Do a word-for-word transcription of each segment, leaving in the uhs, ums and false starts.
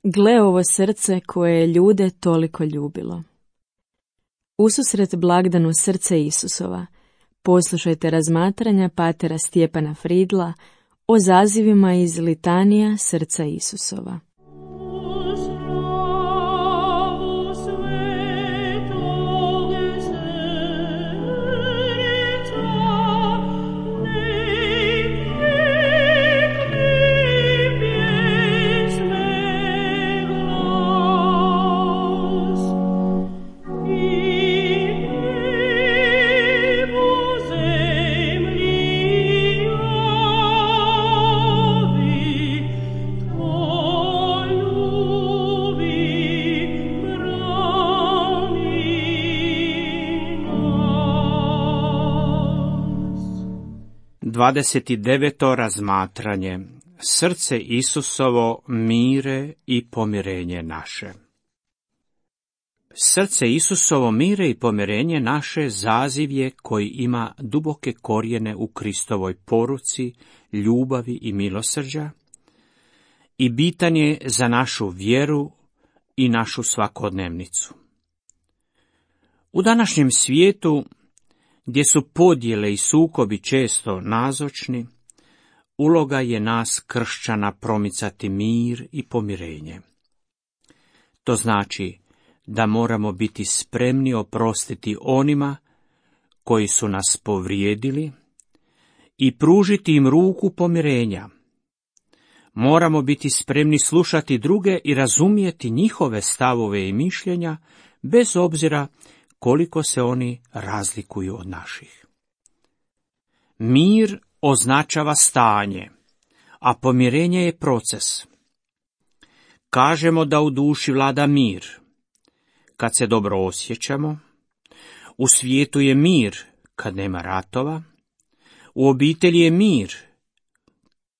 Gle ovo srce koje je ljude toliko ljubilo. Ususret blagdanu srce Isusova, poslušajte razmatranja patera Stjepana Fridla o zazivima iz litanija srca Isusova. dvadeset deveto razmatranje. Srce Isusovo, mire i pomirenje naše. Srce Isusovo, mire i pomirenje naše zaziv je koji ima duboke korijene u Kristovoj poruci, ljubavi i milosrđa i bitan je za našu vjeru i našu svakodnevnicu. U današnjem svijetu, gdje su podjele i sukobi često nazočni, uloga je nas kršćana promicati mir i pomirenje. To znači da moramo biti spremni oprostiti onima koji su nas povrijedili i pružiti im ruku pomirenja. Moramo biti spremni slušati druge i razumjeti njihove stavove i mišljenja, bez obzira koliko se oni razlikuju od naših. Mir označava stanje, a pomirenje je proces. Kažemo da u duši vlada mir kad se dobro osjećamo, u svijetu je mir kad nema ratova, u obitelji je mir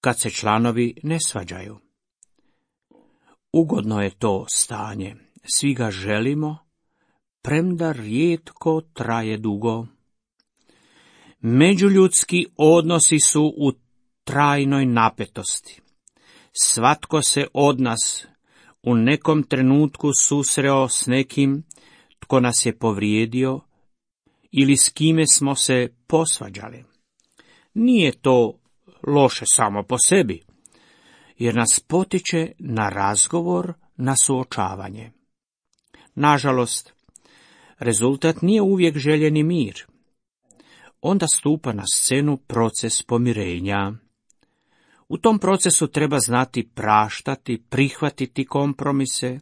kad se članovi ne svađaju. Ugodno je to stanje, svi ga želimo, premda rijetko traje dugo. Međuljudski odnosi su u trajnoj napetosti. Svatko se od nas u nekom trenutku susreo s nekim tko nas je povrijedio ili s kime smo se posvađali. Nije to loše samo po sebi, jer nas potiče na razgovor, na suočavanje. Nažalost, rezultat nije uvijek željeni mir. Onda stupa na scenu proces pomirenja. U tom procesu treba znati praštati, prihvatiti kompromise,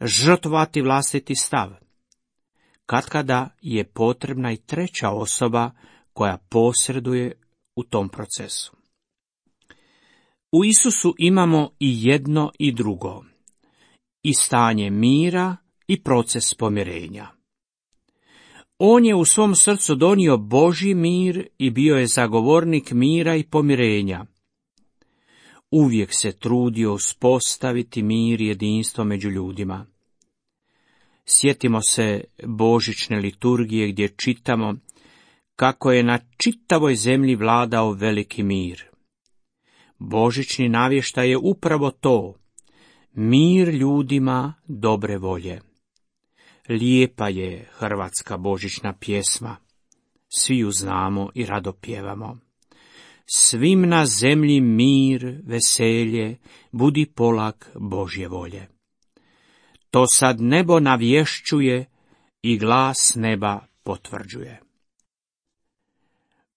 žrtvovati vlastiti stav. Katkada je potrebna i treća osoba koja posreduje u tom procesu. U Isusu imamo i jedno i drugo, i stanje mira i proces pomirenja. On je u svom srcu donio Božji mir i bio je zagovornik mira i pomirenja. Uvijek se trudio uspostaviti mir i jedinstvo među ljudima. Sjetimo se božićne liturgije gdje čitamo kako je na čitavoj zemlji vladao veliki mir. Božićni navještaj je upravo to, mir ljudima dobre volje. Lijepa je hrvatska božićna pjesma, svi ju znamo i rado pjevamo. Svim na zemlji mir, veselje, budi polak Božje volje. To sad nebo navješćuje i glas neba potvrđuje.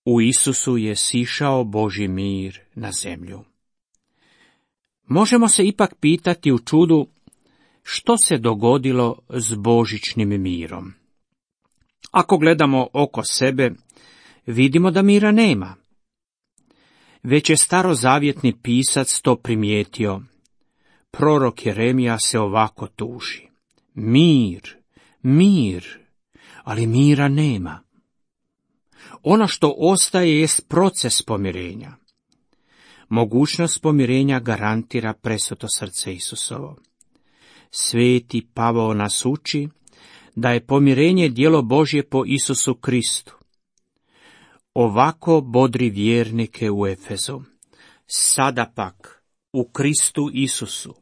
U Isusu je sišao Božji mir na zemlju. Možemo se ipak pitati u čudu što se dogodilo s božićnim mirom. Ako gledamo oko sebe, vidimo da mira nema. Već je starozavjetni pisac to primijetio. Prorok Jeremija se ovako tuži. Mir, mir, ali mira nema. Ono što ostaje jest proces pomirenja. Mogućnost pomirenja garantira presveto srce Isusovo. Sveti Pavao nas uči da je pomirenje djelo Božje po Isusu Kristu. Ovako bodri vjernike u Efezu. Sada pak, u Kristu Isusu,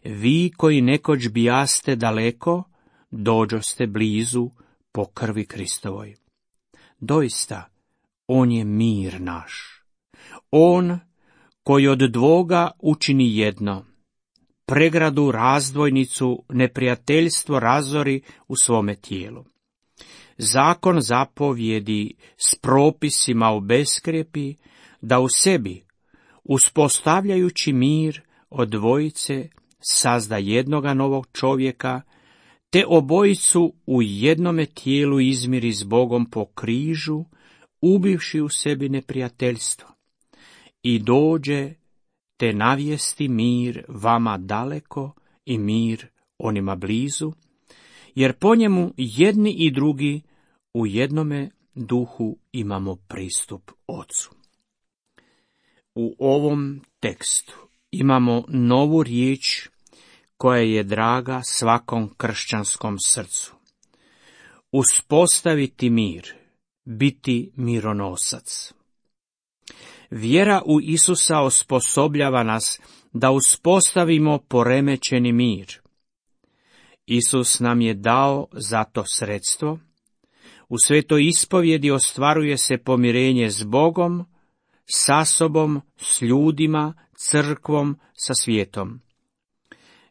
vi koji nekoć bijaste daleko, dođoste blizu po krvi Kristovoj. Doista, on je mir naš. On koji od dvoga učini jedno, pregradu, razdvojnicu, neprijateljstvo razori u svome tijelu. Zakon zapovjedi s propisima obeskrijepi da u sebi, uspostavljajući mir od dvojice, sazda jednoga novog čovjeka, te obojicu u jednome tijelu izmiri s Bogom po križu, ubivši u sebi neprijateljstvo, i dođe te navijesti mir vama daleko i mir onima blizu, jer po njemu jedni i drugi u jednome duhu imamo pristup Ocu. U ovom tekstu imamo novu riječ koja je draga svakom kršćanskom srcu. Uspostaviti mir, biti mironosac. Vjera u Isusa osposobljava nas da uspostavimo poremećeni mir. Isus nam je dao za to sredstvo. U svetoj ispovjedi ostvaruje se pomirenje s Bogom, sa sobom, s ljudima, crkvom, sa svijetom.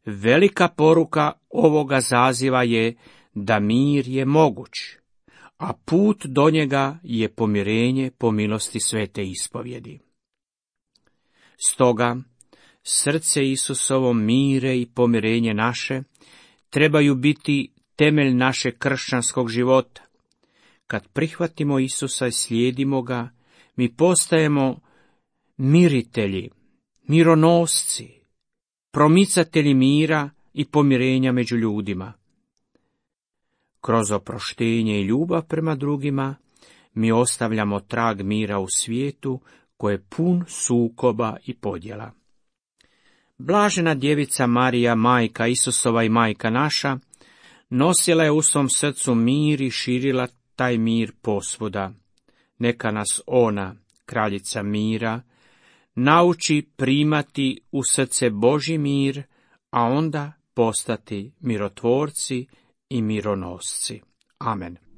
Velika poruka ovoga zaziva je da mir je moguć, a put do njega je pomirenje po milosti svete ispovjedi. Stoga, srce Isusovo mire i pomirenje naše trebaju biti temelj našeg kršćanskog života. Kad prihvatimo Isusa i slijedimo ga, mi postajemo miritelji, mironosci, promicatelji mira i pomirenja među ljudima. Kroz oproštenje i ljubav prema drugima, mi ostavljamo trag mira u svijetu koji je pun sukoba i podjela. Blažena djevica Marija, majka Isusova i majka naša, nosila je u svom srcu mir i širila taj mir posvuda. Neka nas ona, kraljica mira, nauči primati u srce Božji mir, a onda postati mirotvorci i mironosci. Amen.